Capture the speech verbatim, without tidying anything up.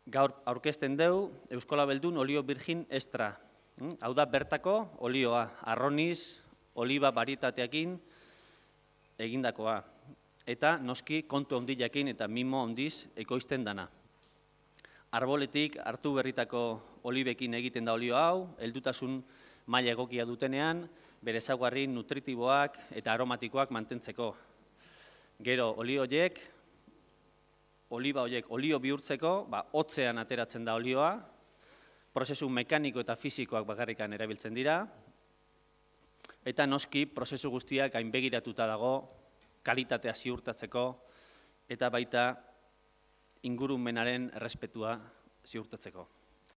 Gaur aurkezten dugu Euskola Beldun olio virgin extra. Hau da bertako olioa, arroniz, oliba barietateakin egindakoa. Eta noski kontu handiakin eta mimo handiz ekoizten dana. Arboletik hartu berritako olibekin egiten da olio hau, heldutasun maila egokia dutenean, bere ezaugarri nutritiboak eta aromatikoak mantentzeko. Gero olio horiek, oliba horiek olio bihurtzeko, hotzean ateratzen da olioa, prozesu mekaniko eta fisikoak bakarrikan erabiltzen dira, eta noski prozesu guztiak gainbegiratuta dago kalitatea ziurtatzeko eta baita ingurumenaren errespetua ziurtatzeko.